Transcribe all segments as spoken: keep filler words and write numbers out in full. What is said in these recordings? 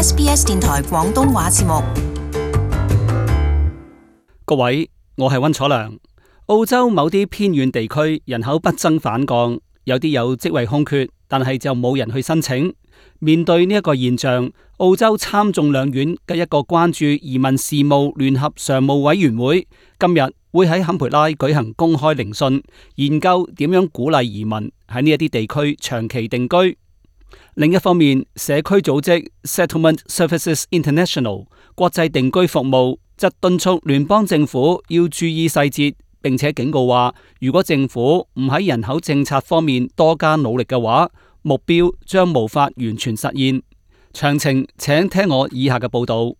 S B S 電台廣東話節目。各位，我係溫楚良。澳洲某啲偏遠地區人口不增反降，有啲有職位空缺，但係就冇人去申請。面對呢一個現象，澳洲參眾兩院嘅一個關注移民事務聯合常務委員會今日會喺坎培拉舉行公開聆訊，研究點樣鼓勵移民喺呢一啲地區長期定居。另一方面，社區組織 Settlement Services International 國際定居服務則敦促聯邦政府要注意細節，並且警告話，如果政府唔喺人口政策方面多加努力嘅話，目標將無法完全實現。詳情請聽我以下嘅報道。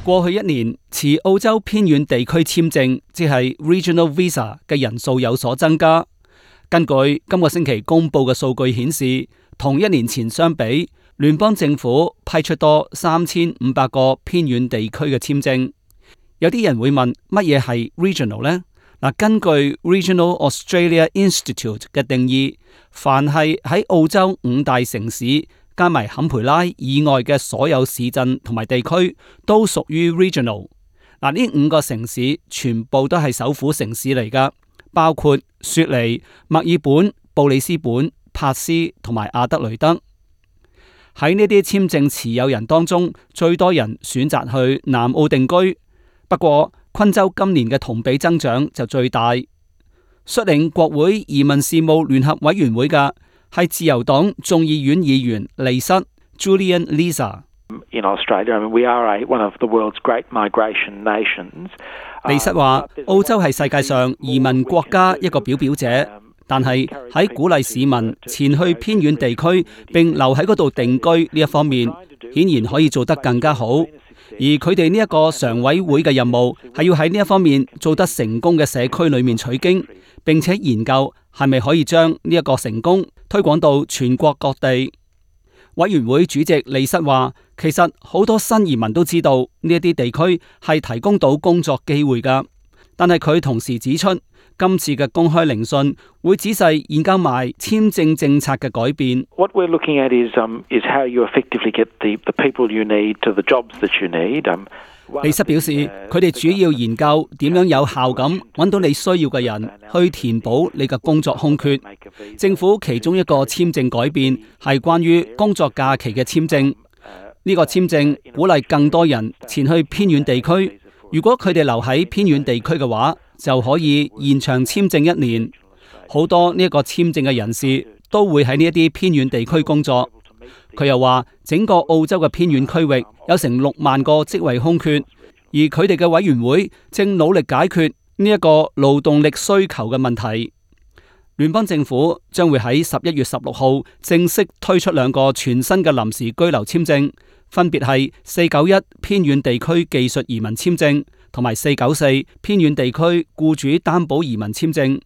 過去一年，持澳洲偏遠地區簽證，即係 Regional Visa 嘅人數有所增加。根據今個星期公布嘅數據顯示，同一年前相比，聯邦政府批出多三千五百個偏遠地區嘅簽證。有啲人會問，乜嘢係 Regional 呢？嗱，根據 Regional Australia Institute 嘅定義，凡係喺澳洲五大城市加埋坎培拉以外嘅所有市鎮同埋地區，都屬於 Regional。嗱，呢五個城市全部都係首府城市嚟噶，包括雪梨、墨爾本、布里斯本、珀斯同埋阿德雷德。喺呢啲簽證持有人當中，最多人選擇去南澳定居。不過，昆州今年嘅同比增長就最大。率領國會移民事務聯合委員會嘅係自由黨眾議院議員利瑟 Julian Leeser。In Australia, I mean, we are a, one of the world's great migration nations. 利瑟話：澳洲係世界上移民國家一個表表者，但係喺鼓勵市民前去偏遠地區並留喺嗰度定居呢一方面，顯然可以做得更加好。而佢哋呢一個常委會嘅任務係要喺呢一方面做得成功嘅社區裏面取經，並且研究係咪可以將呢一個成功推廣到全國各地。委員會主席利瑟話，其實好多新移民都知道呢一啲地區係提供到工作機會噶，但係佢同時指出，今次嘅公開聆訊會仔細研究埋簽證政策嘅改變。What we're looking at is, um, is how you effectively get the, the people you need to the jobs that you need. Um, 利瑟表示，佢哋主要研究點樣有效咁揾到你需要嘅人，去填補你嘅工作空缺。政府其中一個簽證改變係關於工作假期嘅簽證。呢個簽證鼓勵更多人前去偏遠地區。如果佢哋留喺偏遠地區嘅話，就可以延長簽證一年。好多呢一個簽證嘅人士都會喺呢一啲偏遠地區工作。佢又話，整個澳洲嘅偏遠區域有成六萬個職位空缺，而佢哋嘅委員會正努力解決呢一個勞動力需求嘅問題。聯邦政府將會喺十一月十六號正式推出兩個全新嘅臨時居留簽證，分別係四九一偏遠地區技術移民簽證同埋四九四偏遠地區僱主擔保移民簽證。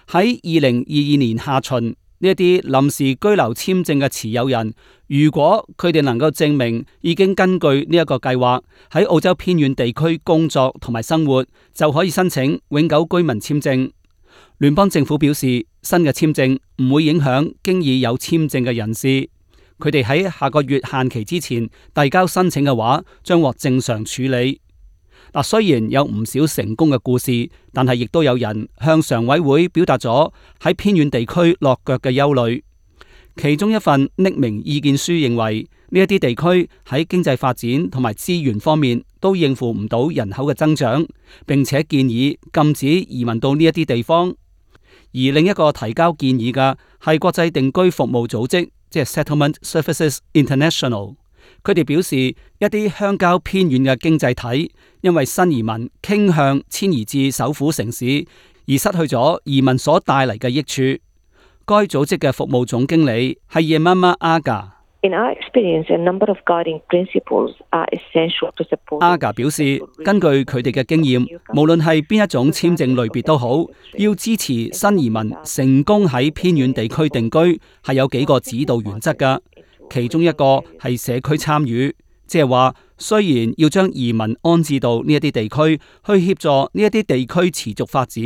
喺二零二二年下旬，呢一啲臨時居留簽證嘅持有人，如果佢哋能夠證明已經根據呢一個計劃喺澳洲偏遠地區工作同埋生活，就可以申請永久居民簽證。聯邦政府表示，新嘅簽證唔會影響經已有簽證嘅人士，佢哋喺下個月限期之前遞交申請嘅話，將獲正常處理。嗱，雖然有唔少成功嘅故事，但係亦都有人向常委會表達咗喺偏遠地區落腳嘅憂慮。其中一份匿名意見書認為，呢一啲地區喺經濟發展同埋資源方面都應付唔到人口嘅增長，並且建議禁止移民到呢一啲地方。而另一個提交建議嘅係國際定居服務組織，即係 Settlement Services International。佢哋表示，一啲鄉郊偏遠嘅經濟體因為新移民傾向遷移至首府城市，而失去咗移民所帶嚟嘅益處。該組織嘅服務總經理係 Yemama Aga。In our experience, a number of guiding principles are essential to support. Aga 表示，根據佢哋嘅經驗，無論係邊一種簽證類別都好，要支持新移民成功喺偏遠地區定居，係有幾個指導原則㗎。其中一個係社區參與，即係話雖然要將移民安置到呢一啲地區，去協助呢一啲地區持續發展，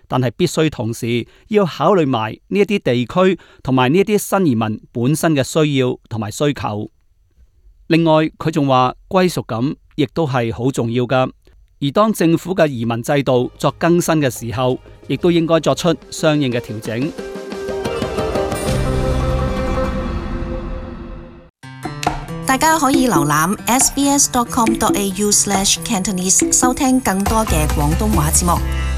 但係必須同時要考慮埋呢一啲地區同埋呢一啲新移民本身嘅需要同埋需求。另外，佢仲話歸屬感亦都係好重要㗎，而當政府嘅移民制度作更新嘅時候，亦都應該作出相應嘅調整。大家可以瀏覽 s b s dot com dot a u slash cantonese 收聽更多嘅廣東話節目。